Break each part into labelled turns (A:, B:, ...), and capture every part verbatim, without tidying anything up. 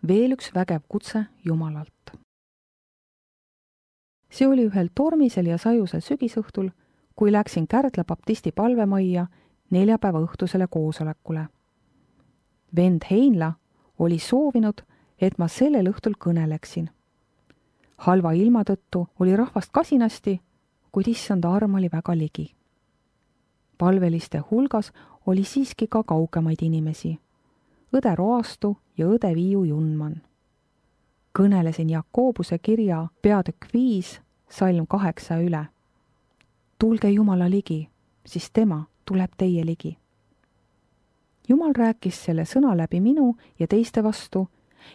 A: veel üks vägev kutse Jumalalt. See oli ühel tormisel ja sajusel sügisõhtul, kui läksin Kärdla baptisti palvemajja neljapäeva õhtusele koosolekule. Vend Heinla oli soovinud, et ma sellel õhtul kõneleksin. Halva ilma tõttu oli rahvast kasinasti, kuid issanda arm oli väga ligi. Palveliste hulgas oli siiski ka kaugemaid inimesi, õde Roastu ja õde Viiu Junman. Kõnelesin Jakobuse kirja peatükk viis, salm kaheksa üle. Tulge Jumala ligi, siis tema tuleb teie ligi. Jumal rääkis selle sõna läbi minu ja teiste vastu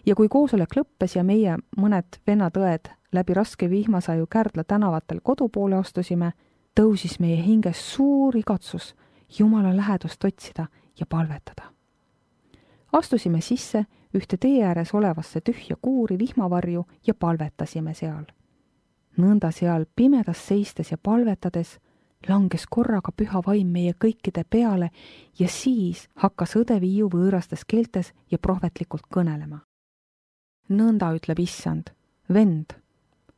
A: ja kui koosolek lõppes ja meie mõned vennad-õed läbi raske vihmasaju Kärdla tänavatel kodu poole astusime, tõusis meie hinges suur igatsus Jumala lähedust otsida ja palvetada. Astusime sisse ühte tee ääres olevasse tühja kuuri vihmavarju ja palvetasime seal. Nõnda seal pimedas seistes ja palvetades langes korraga püha vaim meie kõikide peale ja siis hakkas õde Viiu võõrastes keeltes ja prohvetlikult kõnelema. Nõnda ütleb issand, vend,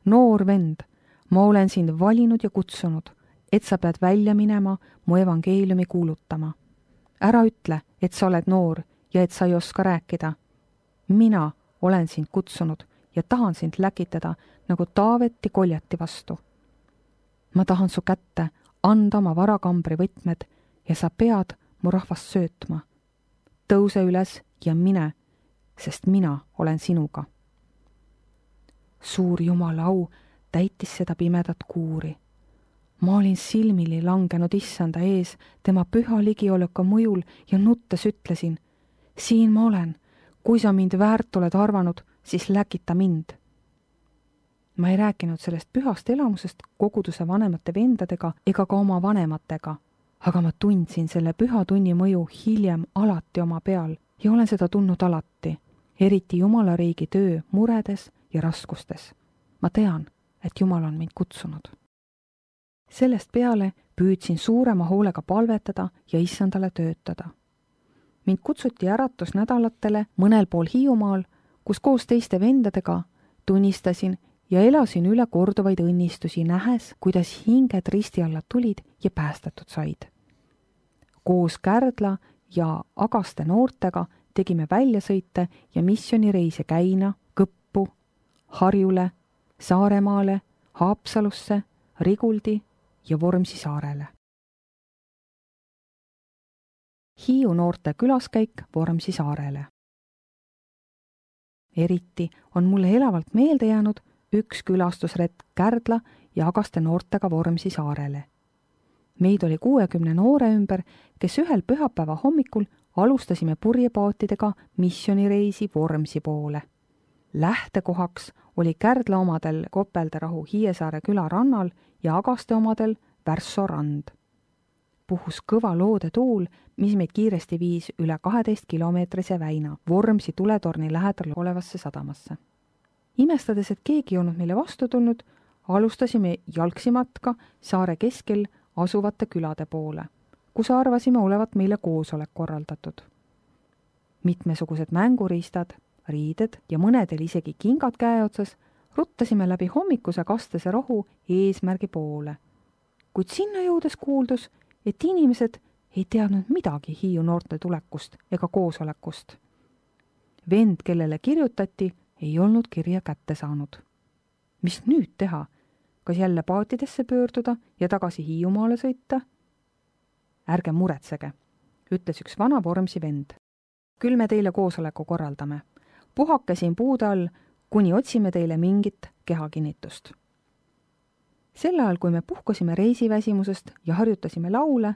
A: noor vend, ma olen sind valinud ja kutsunud, et sa pead välja minema mu evangeeliumi kuulutama. Ära ütle, et sa oled noor ja et sa ei oska rääkida. Mina olen sind kutsunud ja tahan sind läkitada nagu Taaveti Koljati vastu. Ma tahan su kätte anda oma varakambri võtmed ja sa pead mu rahvast söötma. Tõuse üles ja mine, sest mina olen sinuga. Suur Jumala au täitis seda pimedat kuuri. Ma olin silmili langenud issanda ees tema püha ligioleka mõjul ja nuttes ütlesin, siin ma olen, kui sa mind väärt oled arvanud, siis läkita mind. Ma ei rääkinud sellest pühast elamusest koguduse vanemate vendadega ega ka oma vanematega, aga ma tundsin selle püha tunni mõju hiljem alati oma peal ja olen seda tundnud alati, eriti Jumala riigi töö muredes ja raskustes. Ma tean, et Jumal on mind kutsunud. Sellest peale püüdsin suurema hoolega palvetada ja issandale töötada. Mind kutsuti äratusnädalatele mõnel pool Hiiumaal, kus koos teiste vendadega tunnistasin ja elasin üle korduvaid õnnistusi nähes, kuidas hinged risti alla tulid ja päästetud said. Koos Kärdla ja Agaste noortega tegime väljasõite ja missioonireise Käina, Kõppu, Harjule, Saaremaale, Haapsalusse, Riguldi ja Vormsi saarele. Hiiu noorte külaskäik Vormsi saarele. Eriti on mulle elavalt meelde jäänud üks külastusretk Kärdla ja Agaste noortega Vormsi saarele. Meid oli kuuekümne noore ümber, kes ühel pühapäeva hommikul alustasime purjepaatidega missioonireisi Vormsi poole. Lähtekohaks oli Kärdla omadel Kopelderahu Hiiesaare küla rannal ja Agaste omadel Värsso rand. Puhus kõva loode tuul, mis meid kiiresti viis üle kaheteist kilomeetrise väina Vormsi tuletorni lähedal olevasse sadamasse. Imestades, et keegi ei olnud meile vastu tulnud, alustasime jalgsimatka saare keskel asuvate külade poole, kus arvasime olevat meile koosolek korraldatud. Mitmesugused mänguriistad, riided ja mõnedel isegi kingad käeotsas ruttasime läbi hommikuse kastese rohu eesmärgi poole. Kuid sinna jõudes kuuldus, et inimesed ei teadnud midagi Hiiu noorte tulekust ega koosolekust. Vend, kellele kirjutati, ei olnud kirja kätte saanud. Mis nüüd teha? Kas jälle paatidesse pöörduda ja tagasi Hiiumaale sõita? Ärge muretsege, ütles üks vana Vormsi vend. Küll me teile koosoleku korraldame. Puhake siin puude all, kuni otsime teile mingit kehakinnitust. Sel ajal, kui me puhkasime reisiväsimusest ja harjutasime laule,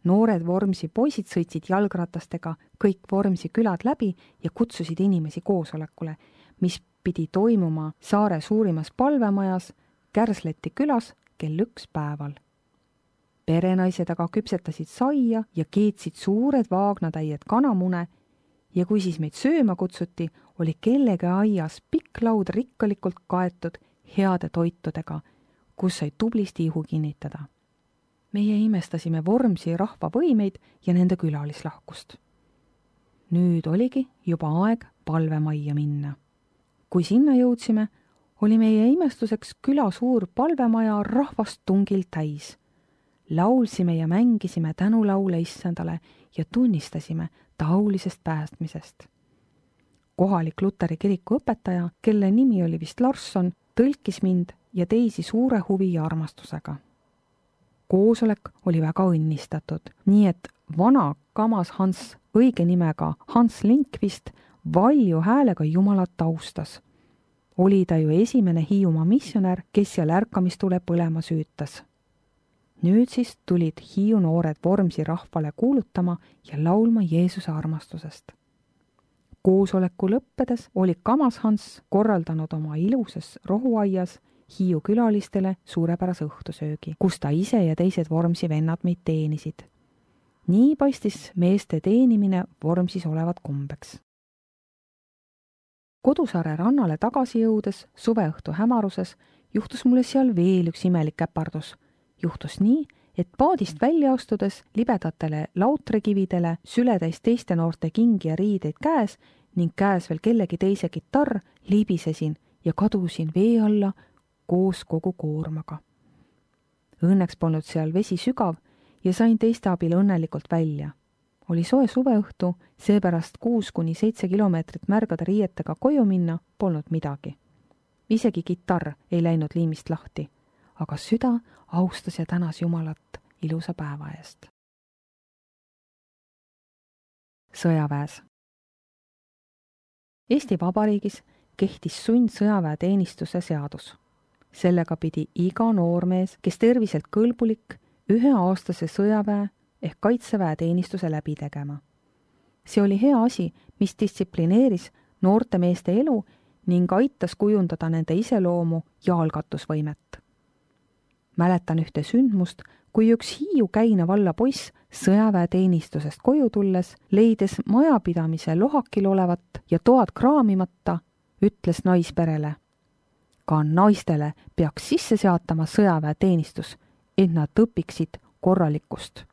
A: noored Vormsi poisid sõitsid jalgratastega kõik Vormsi külad läbi ja kutsusid inimesi koosolekule, mis pidi toimuma saare suurimas palvemajas Kärsleti külas kell üks päeval. Perenaised aga küpsetasid saia ja keetsid suured vaagnatäied kanamune ja kui siis meid sööma kutsuti, oli kellegi aias pikk laud rikkalikult kaetud heade toitudega, kus sai tublisti ihu kinnitada. Meie imestasime Vormsi rahva võimeid ja nende külalislahkust. nüüd oligi juba aeg palvemajja minna. Kui sinna jõudsime, oli meie imestuseks küla suur palvemaja rahvast tungil täis. Laulsime ja mängisime tänulaule issandale ja tunnistasime ta aulisest päästmisest. Kohalik Luteri kiriku õpetaja, kelle nimi oli vist Larsson, tõlkis mind ja teisi suure huvi ja armastusega. Koosolek oli väga õnnistatud, nii et vana kamas Hans, õige nimega Hans Linkvist, valju häälega Jumalat taustas. Oli ta ju esimene Hiiumaa missionär, kes seal ärkamistule põlema süütas. Nüüd siis tulid Hiiu noored Vormsi rahvale kuulutama ja laulma Jeesuse armastusest. Koosoleku lõppedes oli kamas Hans korraldanud oma ilusas rohuaias Hiiu külalistele suurepärase õhtusöögi, kus ta ise ja teised Vormsi vennad meid teenisid. Nii paistis meeste teenimine Vormsis olevat kombeks. Kodusaare rannale tagasi jõudes suveõhtu hämaruses juhtus mulle seal veel üks imelik käpardus. Juhtus nii, et paadist välja astudes libedatele lautrekividele sületäis teiste noorte kingi ja riideid käes ning käes veel kellegi teise kitarr libisesin ja kadusin vee alla koos kogu koormaga. Õnneks polnud seal vesi sügav ja sain teiste abil õnnelikult välja. Oli soe suveõhtu, seepärast kuus kuni seitse kilomeetrit märgade riietega koju minna polnud midagi. Isegi kitarr ei läinud liimist lahti, aga süda austas ja tänas Jumalat ilusa päeva eest. Sõjaväes. Eesti Vabariigis kehtis sund sõjaväeteenistuse seadus. Sellega pidi iga noormees, kes terviselt kõlbulik, üheaastase sõjaväe ehk kaitseväe teenistuse läbi tegema. See oli hea asi, mis distsiplineeris noorte meeste elu ning aitas kujundada nende iseloomu ja algatusvõimet. Mäletan ühte sündmust, kui üks Hiiu Käina valla poiss sõjaväeteenistusest koju tulles, leides majapidamise lohakil olevat ja toad kraamimata, ütles naisperele: ka naistele peaks sisse seatama sõjaväeteenistus, et nad õpiksid korralikkust.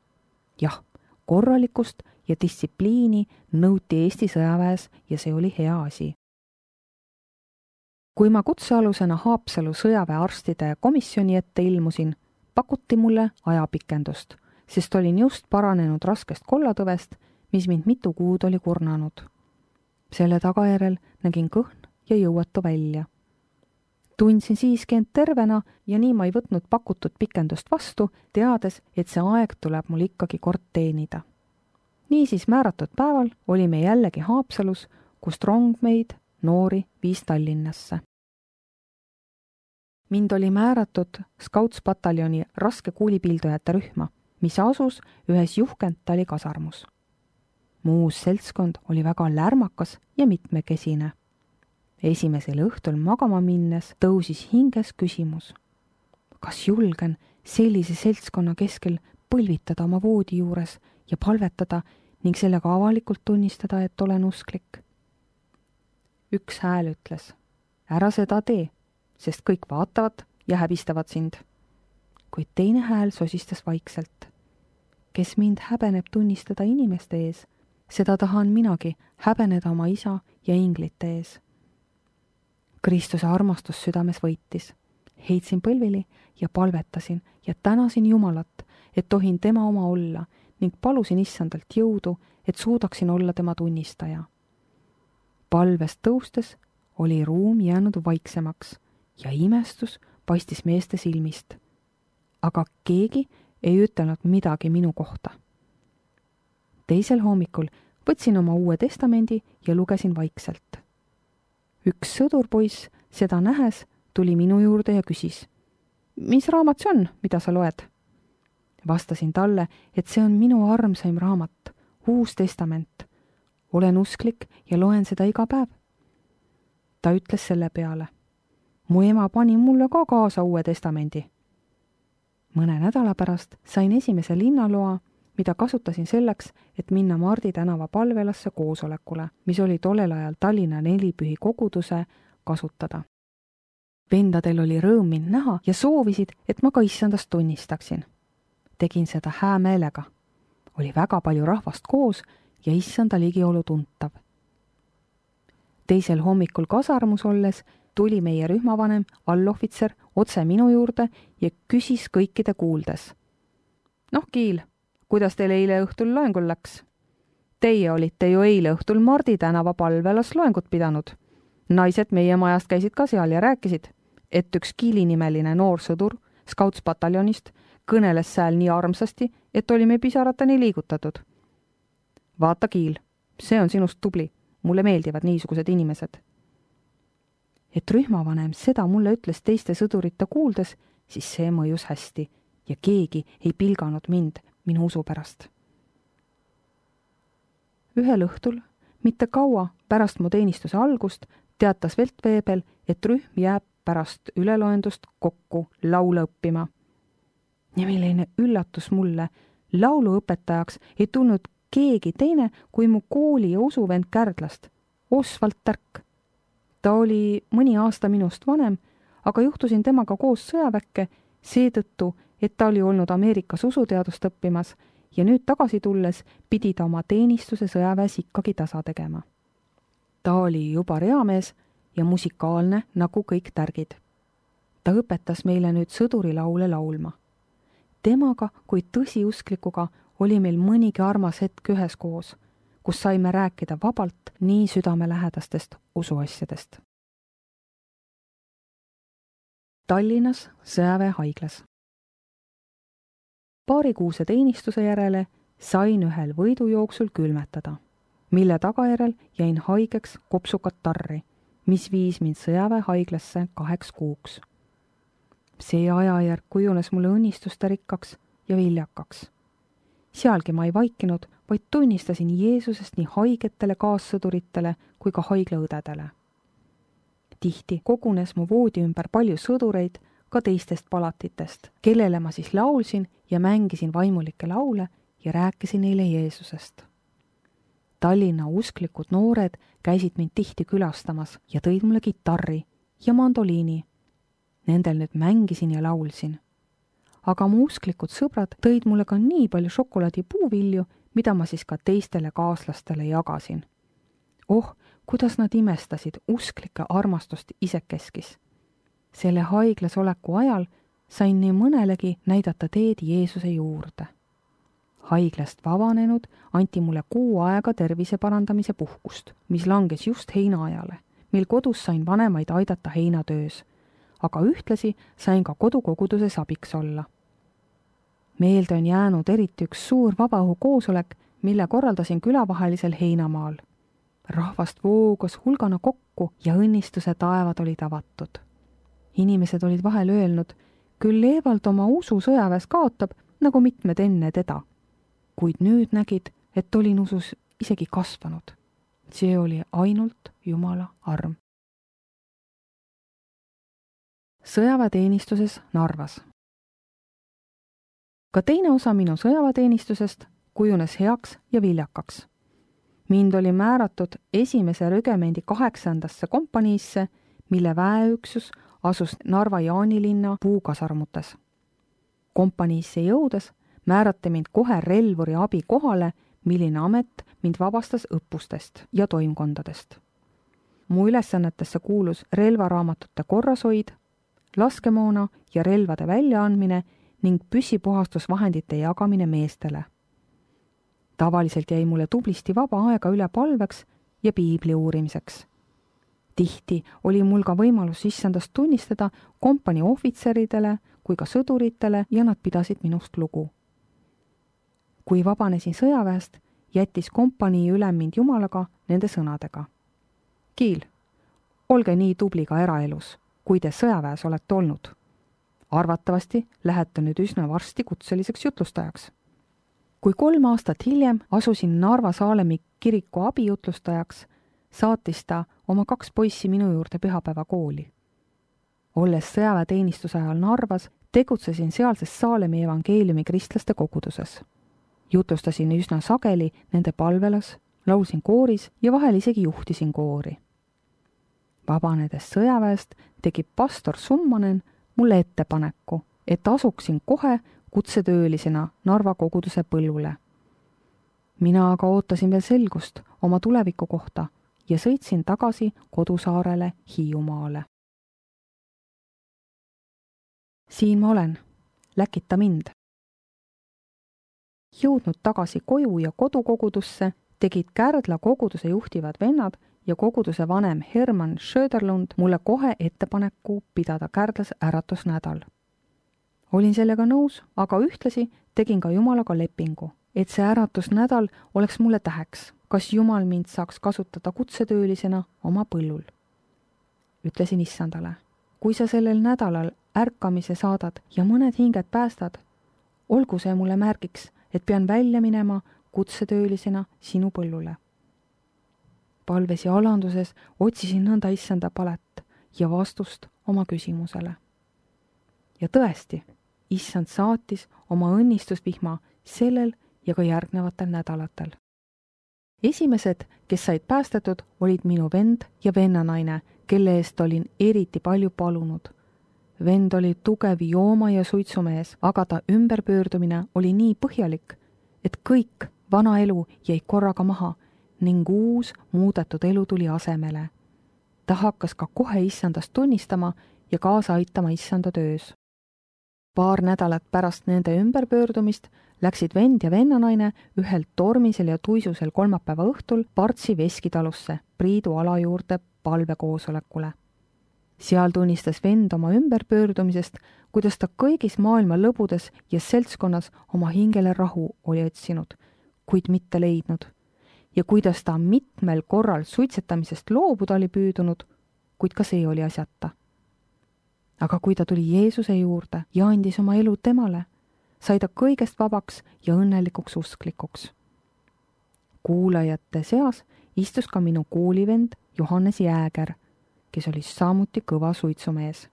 A: Jah, korralikkust ja distsipliini nõuti Eesti sõjaväes ja see oli hea asi. Kui ma kutsealusena Haapsalu sõjaväearstide komisjoni ette ilmusin, pakuti mulle ajapikendust, sest olin just paranenud raskest kollatõvest, mis mind mitu kuud oli kurnanud. Selle tagajärel nägin kõhn ja jõuatu välja. Tundsin siiski end tervena ja nii ma ei võtnud pakutud pikendust vastu, teades, et see aeg tuleb mul ikkagi kord teenida. Niisiis määratud päeval olime jällegi Haapsalus, kust rong meid, noori, viis Tallinnasse. Mind oli määratud skautspataljoni raske kuulipildujate rühma, mis asus ühes Juhkentali kasarmus. Muus seltskond oli väga lärmakas ja mitmekesine. Esimesel õhtul magama minnes tõusis hinges küsimus. Kas julgen sellise seltskonna keskel põlvitada oma voodi juures ja palvetada ning sellega avalikult tunnistada, et olen usklik? Üks hääl ütles: ära seda tee, sest kõik vaatavad ja häbistavad sind. Kuid teine hääl sosistas vaikselt: kes mind häbeneb tunnistada inimeste ees, seda tahan minagi häbeneda oma isa ja inglite ees. Kristuse armastus südames võitis. Heitsin põlvili ja palvetasin ja tänasin Jumalat, et tohin tema oma olla ning palusin issandalt jõudu, et suudaksin olla tema tunnistaja. Palvest tõustes oli ruum jäänud vaiksemaks ja imestus paistis meeste silmist. Aga keegi ei ütelnud midagi minu kohta. Teisel hommikul võtsin oma Uue Testamendi ja lugesin vaikselt. Üks sõdurpoiss seda nähes tuli minu juurde ja küsis: mis raamat see on, mida sa loed? Vastasin talle, et see on minu armsaim raamat, Uus Testament. Olen usklik ja loen seda iga päev. Ta ütles selle peale: mu ema pani mulle ka kaasa Uue Testamendi. Mõne nädala pärast sain esimese linnaloa, mida kasutasin selleks, et minna Mardi tänava palvelasse koosolekule, mis oli tollel ajal Tallinna nelipühi koguduse kasutada. Vendadel oli rõõm mind näha ja soovisid, et ma ka issandast tunnistaksin. Tegin seda hää meelega. Oli väga palju rahvast koos ja issanda ligiolu tuntav. Teisel hommikul kasarmus olles tuli meie rühmavanem, allohvitser, otse minu juurde ja küsis kõikide kuuldes. Noh, Kiil, kuidas teil eile õhtul loengul läks? Teie olite ju eile õhtul Mardi tänava palvelas loengut pidanud. Naised meie majast käisid ka seal ja rääkisid, et üks Kiili nimeline noor sõdur Scouts-pataljonist kõneles sääl nii armsasti, et olime pisaratani liigutatud. Vaata, Kiil, see on sinust tubli. Mulle meeldivad niisugused inimesed. Et rühmavanem seda mulle ütles teiste sõdurite kuuldes, siis see mõjus hästi ja keegi ei pilganud mind minu usu pärast. Ühel õhtul, mitte kaua pärast mu teenistuse algust, teatas Veltveebel, et rühm jääb pärast üleloendust kokku laule õppima. Ja milline üllatus mulle, lauluõpetajaks ei tulnud keegi teine kui mu kooli ja usuvend Kärdlast, Osvald Tärk. Ta oli mõni aasta minust vanem, aga juhtusin temaga koos sõjaväkke seetõttu, et ta oli olnud Ameerikas usuteadust õppimas ja nüüd tagasi tulles pidi ta oma teenistuse sõjaväes ikkagi tasa tegema. Ta oli juba reamees ja musikaalne nagu kõik tärgid. Ta õpetas meile nüüd sõdurilaule laulma. Temaga kui tõsiusklikuga oli meil mõnigi armas hetk üheskoos, kus saime rääkida vabalt nii südamelähedastest usuasjadest. Tallinnas sõjaväehaiglas. Paarikuuse teenistuse järele sain ühel võidujooksul külmetada, mille tagajärel jäin haigeks kopsukat tarri, mis viis mind sõjaväehaiglasse kaheks kuuks. See ajajärk kujunes mulle õnnistuste rikkaks ja viljakaks. Sealgi ma ei vaikinud, vaid tunnistasin Jeesusest nii haigetele kaassõduritele kui ka haiglaõdedele. Tihti kogunes mu voodi ümber palju sõdureid ka teistest palatitest, kellele ma siis laulsin ja mängisin vaimulikke laule ja rääkisin neile Jeesusest. Tallinna usklikud noored käisid mind tihti külastamas ja tõid mulle kitarri ja mandoliini. Nendel nüüd mängisin ja laulsin. Aga mu usklikud sõbrad tõid mulle ka nii palju šokolaadipuuvilju, mida ma siis ka teistele kaaslastele jagasin. Oh, kuidas nad imestasid usklike armastust isekeskis. Selle haiglas oleku ajal sain nii mõnelegi näidata teed Jeesuse juurde. Haiglast vabanenud anti mulle kuu aega tervise parandamise puhkust, mis langes just heinaajale, mil kodus sain vanemaid aidata heinatöös, aga ühtlasi sain ka kodukoguduses abiks olla. Meelde on jäänud eriti üks suur vabaõhu koosolek, mille korraldasin külavahelisel heinamaal. Rahvast voogas hulgana kokku ja õnnistuse taevad olid avatud. Inimesed olid vahel öelnud, küll Eevald oma usu sõjaväes kaotab, nagu mitmed enne teda. Kuid nüüd nägid, et olin usus isegi kasvanud. See oli ainult Jumala arm. Sõjaväeteenistuses Narvas. Ka teine osa minu sõjaväeteenistusest kujunes heaks ja viljakaks. Mind oli määratud esimese rügemendi kaheksandasse kompaniisse, mille väeüksus asus Narva Jaanilinna puukasarmutes. Kompaniisse jõudes määrati mind kohe relvuri abi kohale, milline amet mind vabastas õppustest ja toimkondadest. Mu ülesannetesse kuulus relvaraamatute korrashoid, laskemoona ja relvade väljaandmine ning püssipuhastusvahendite jagamine meestele. Tavaliselt jäi mulle tublisti vaba aega üle palveks ja piibli uurimiseks. Tihti oli mul ka võimalus issandast tunnistada kompanii ohvitseridele kui ka sõduritele ja nad pidasid minust lugu. Kui vabanesin sõjaväest, jättis kompanii ülem mind Jumalaga nende sõnadega. Kiil, olge nii tubli ka eraelus, kui te sõjaväes olete olnud. Arvatavasti lähete nüüd üsna varsti kutseliseks jutlustajaks. Kui kolm aastat hiljem asusin Narva Saalemi kiriku abijutlustajaks, saatis ta oma kaks poissi minu juurde pühapäeva kooli. Olles sõjaväeteenistuse ajal Narvas, tegutsesin sealses Saalemi evangeeliumi kristlaste koguduses. Jutlustasin üsna sageli nende palvelas, laulsin kooris ja vahel isegi juhtisin koori. Vabanedes sõjaväest tegi pastor Summanen mulle ettepaneku, et asuksin kohe kutsetöölisena Narva koguduse põllule. mina aga ootasin veel selgust oma tuleviku kohta ja sõitsin tagasi kodusaarele Hiiumaale. Siin ma olen, läkita mind. Jõudnud tagasi koju ja kodukogudusse, tegid Kärdla koguduse juhtivad vennad ja koguduse vanem Herman Söderlund mulle kohe ettepaneku pidada Kärdlas äratusnädal. Olin sellega nõus, aga ühtlasi tegin ka Jumalaga lepingu, et see äratusnädal oleks mulle täheks, kas Jumal mind saaks kasutada kutsetöölisena oma põllul. Ütlesin issandale, kui sa sellel nädalal ärkamise saadad ja mõned hinged päästad, olgu see mulle märgiks, et pean välja minema kutsetöölisena sinu põllule. Palves ja alanduses otsisin nõnda issanda palet ja vastust oma küsimusele. Ja tõesti, issand saatis oma õnnistusvihma sellel ja ka järgnevatel nädalatel. Esimesed, kes said päästetud, olid minu vend ja vennanaine, kelle eest olin eriti palju palunud. Vend oli tugev jooma ja suitsumees, aga ta ümberpöördumine oli nii põhjalik, et kõik vana elu jäi korraga maha ning uus muudetud elu tuli asemele. Ta hakkas ka kohe issandast tunnistama ja kaasa aitama issanda töös. Paar nädalat pärast nende ümberpöördumist läksid vend ja vennanaine ühel tormisel ja tuisusel kolmapäeva õhtul Partsi veskitalusse Priidu ala juurde palvekoosolekule. Seal tunnistas vend oma ümberpöördumisest, kuidas ta kõigis maailma lõbudes ja seltskonnas oma hingele rahu oli otsinud, kuid mitte leidnud, ja kuidas ta mitmel korral suitsetamisest loobuda oli püüdunud, kuid ka see oli asjata. Aga kui ta tuli Jeesuse juurde ja andis oma elu temale, sai ta kõigest vabaks ja õnnelikuks usklikuks. Kuulajate seas istus ka minu koolivend Johannes Jääger, kes oli samuti kõva suitsumees.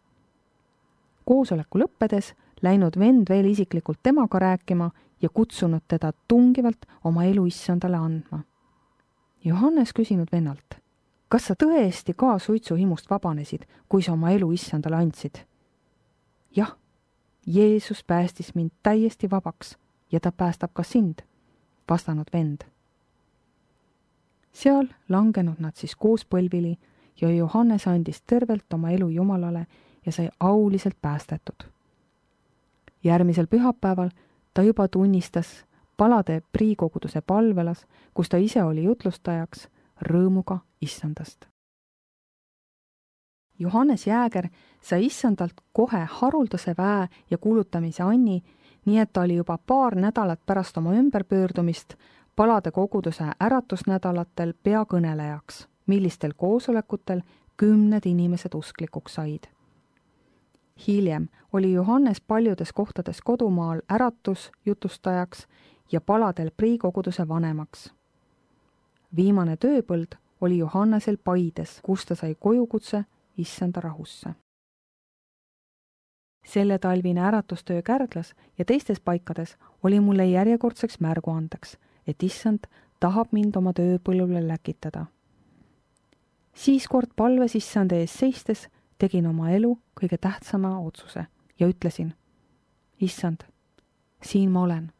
A: Koosoleku lõppedes läinud vend veel isiklikult temaga rääkima ja kutsunud teda tungivalt oma elu issandale andma. Johannes küsinud vennalt, kas sa tõesti ka suitsuhimust vabanesid, kui sa oma elu issandale andsid? Jah, Jeesus päästis mind täiesti vabaks ja ta päästab ka sind, vastanud vend. Seal langenud nad siis koos põlvili ja Johannes andis tervelt oma elu Jumalale ja sai auliselt päästetud. Järgmisel pühapäeval ta juba tunnistas palade priikoguduse palvelas, kus ta ise oli jutlustajaks, rõõmuga issandast. Johannes Jääger sai issandalt kohe haruldase väe ja kuulutamise anni, nii et ta oli juba paar nädalat pärast oma ümberpöördumist palade koguduse äratusnädalatel peakõnelejaks, millistel koosolekutel kümned inimesed usklikuks said. Hiljem oli Johannes paljudes kohtades kodumaal äratus jutustajaks ja paladel priikoguduse vanemaks. Viimane tööpõld oli Johannesel Paides, kus ta sai kojukutse issanda rahusse. Selle talvine äratustöö Kärdlas ja teistes paikades oli mulle järjekordseks märguandeks, et issand tahab mind oma tööpõllule läkitada. Siis kord palves issand ees seistes tegin oma elu kõige tähtsama otsuse ja ütlesin, issand, siin ma olen,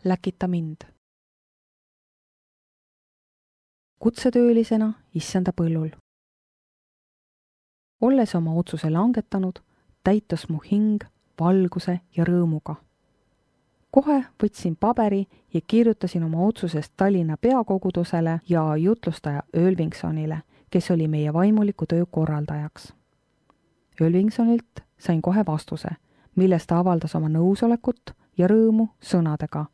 A: läkita mind. Kutsetöölisena issanda põllul. Olles oma otsuse langetanud, täitus mu hing valguse ja rõõmuga. Kohe võtsin paberi ja kirjutasin oma otsusest Tallinna peakogudusele ja jutlustaja Ölvingsonile, kes oli meie vaimuliku töö korraldajaks. Ölvingsonilt sain kohe vastuse, milles ta avaldas oma nõusolekut ja rõõmu sõnadega.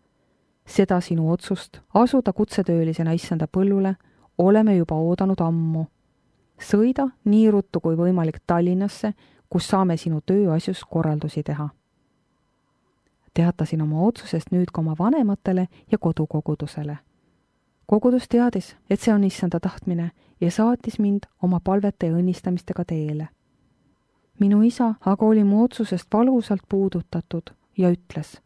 A: Seda sinu otsust asuda kutsetöölisena issanda põllule oleme juba oodanud ammu. Sõida nii ruttu kui võimalik Tallinnasse, kus saame sinu tööasjus korraldusi teha. Teatasin oma otsusest nüüd ka oma vanematele ja kodukogudusele. Kogudus teadis, et see on issanda tahtmine ja saatis mind oma palvete ja õnnistamistega teele. Minu isa aga oli mu otsusest valusalt puudutatud ja ütles,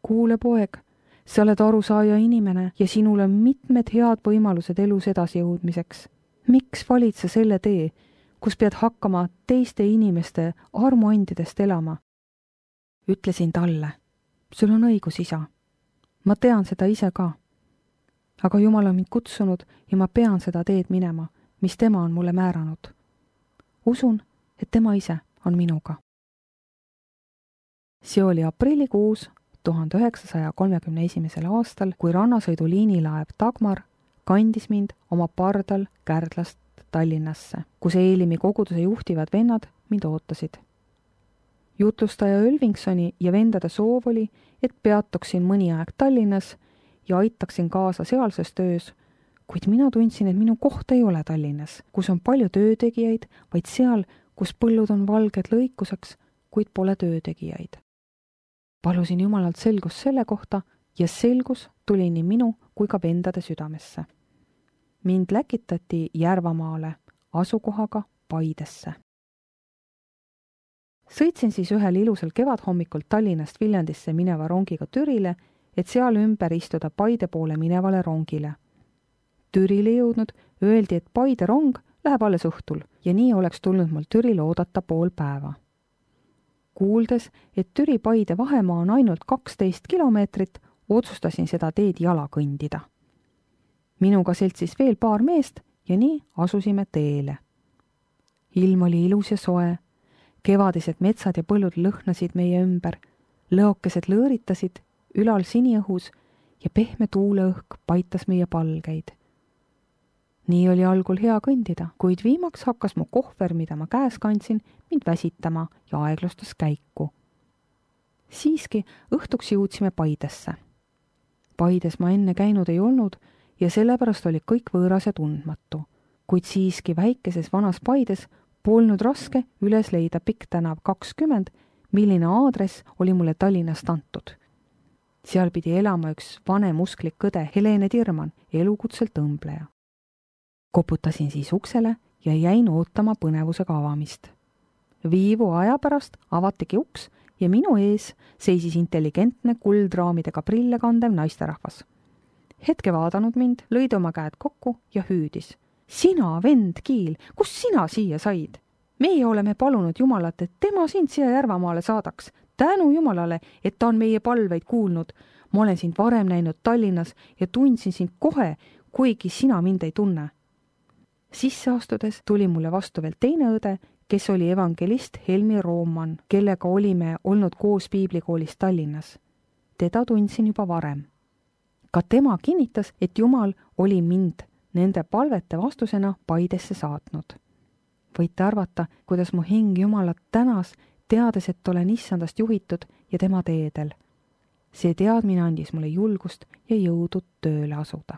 A: kuule poeg, sa oled arusaaja inimene ja sinul on mitmed head võimalused elus edasi jõudmiseks. Miks valid sa selle tee, kus pead hakkama teiste inimeste armuandidest elama? Ütlesin talle, sul on õigus, isa. Ma tean seda ise ka. aga Jumal on mind kutsunud ja ma pean seda teed minema, mis tema on mulle määranud. Usun, et tema ise on minuga. See oli aprillikuus tuhande üheksasaja kolmekümne esimesel aastal, kui rannasõidu liinilaev Dagmar kandis mind oma pardal Kärdlast Tallinnasse, kus Eelimi koguduse juhtivad vennad mind ootasid. Jutlustaja Ölvingsoni ja vendade soov oli, et peatuksin mõni aeg Tallinnas ja aitaksin kaasa sealses töös, kuid mina tundsin, et minu koht ei ole Tallinnas, kus on palju töötegijaid, vaid seal, kus põllud on valged lõikuseks, kuid pole töötegijaid. Palusin Jumalalt selgust selle kohta ja selgus tuli nii minu kui ka vendade südamesse. Mind läkitati Järvamaale, asukohaga Paidesse. Sõitsin siis ühel ilusal kevadhommikul Tallinnast Viljandisse mineva rongiga Türile, et seal ümber istuda Paide poole minevale rongile. Türile jõudnud öeldi, et Paide rong läheb alles õhtul ja nii oleks tulnud mul Türile oodata pool päeva. Kuuldes, et Türi-Paide vahemaa on ainult kaksteist kilomeetrit, otsustasin seda teed jala kõndida. Minuga seltsis veel paar meest ja nii asusime teele. Ilm oli ilus ja soe, kevadised metsad ja põllud lõhnasid meie ümber, lõokesed lõõritasid ülal siniõhus ja pehme tuuleõhk paitas meie palgeid. Nii oli algul hea kõndida, kuid viimaks hakkas mu kohver, mida ma käes kandsin, mind väsitama ja aeglustas käiku. Siiski õhtuks jõudsime Paidesse. Paides ma enne käinud ei olnud ja sellepärast oli kõik võõras ja tundmatu, kuid siiski väikeses vanas Paides polnud raske üles leida Pikk tänav kakskümmend, milline aadress oli mulle Tallinnast antud. Seal pidi elama üks vanem usklik õde Helene Tirman, elukutselt õmbleja. Koputasin siis uksele ja jäin ootama põnevusega avamist. Viivu aja pärast avatigi uks ja minu ees seisis intelligentne kuldraamidega prille kandev naisterahvas. Hetke vaadanud mind, lõid oma käed kokku ja hüüdis. Sina, vend Kiil, kus sina siia said? Meie oleme palunud Jumalat, et tema sind siia Järvamaale saadaks. Tänu Jumalale, et ta on meie palveid kuulnud. Ma olen sind varem näinud Tallinnas ja tundsin sind kohe, kuigi sina mind ei tunne. Sisse astudes tuli mulle vastu veel teine õde, kes oli evangelist Helmi Rooman, kellega olime olnud koos piiblikoolis Tallinnas. Teda tundsin juba varem. Ka tema kinnitas, et Jumal oli mind nende palvete vastusena Paidesse saatnud. Võite arvata, kuidas mu hing Jumalat tänas, teades, et olen issandast juhitud ja tema teedel. See teadmine andis mulle julgust ja jõudu tööle asuda.